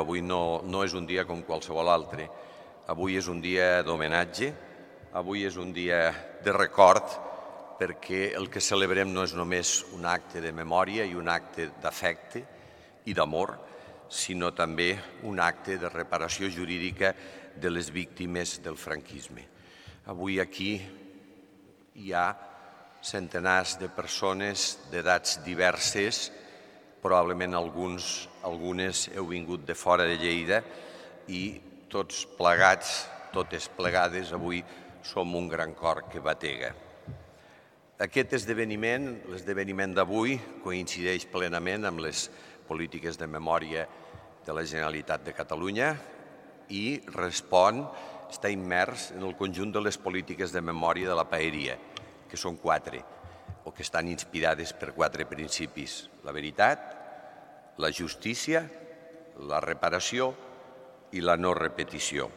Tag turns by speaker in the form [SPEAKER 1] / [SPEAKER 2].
[SPEAKER 1] Avui no és un dia com qualsevol altre. Avui és un dia d'homenatge, avui és un dia de record, perquè el que celebrem no és només un acte de memòria i un acte d'afecte i d'amor, sinó també un acte de reparació jurídica de les víctimes del franquisme. Avui aquí hi ha centenars de persones d'edats diverses, probablement algunes heu vingut de fora de Lleida i tots plegats, totes plegades, avui som un gran cor que batega. Aquest esdeveniment, l'esdeveniment d'avui, coincideix plenament amb les polítiques de memòria de la Generalitat de Catalunya i està immers en el conjunt de les polítiques de memòria de la paeria, que són 4, o que estan inspirades per 4 principis: la veritat, la justícia, la reparació i la no repetició.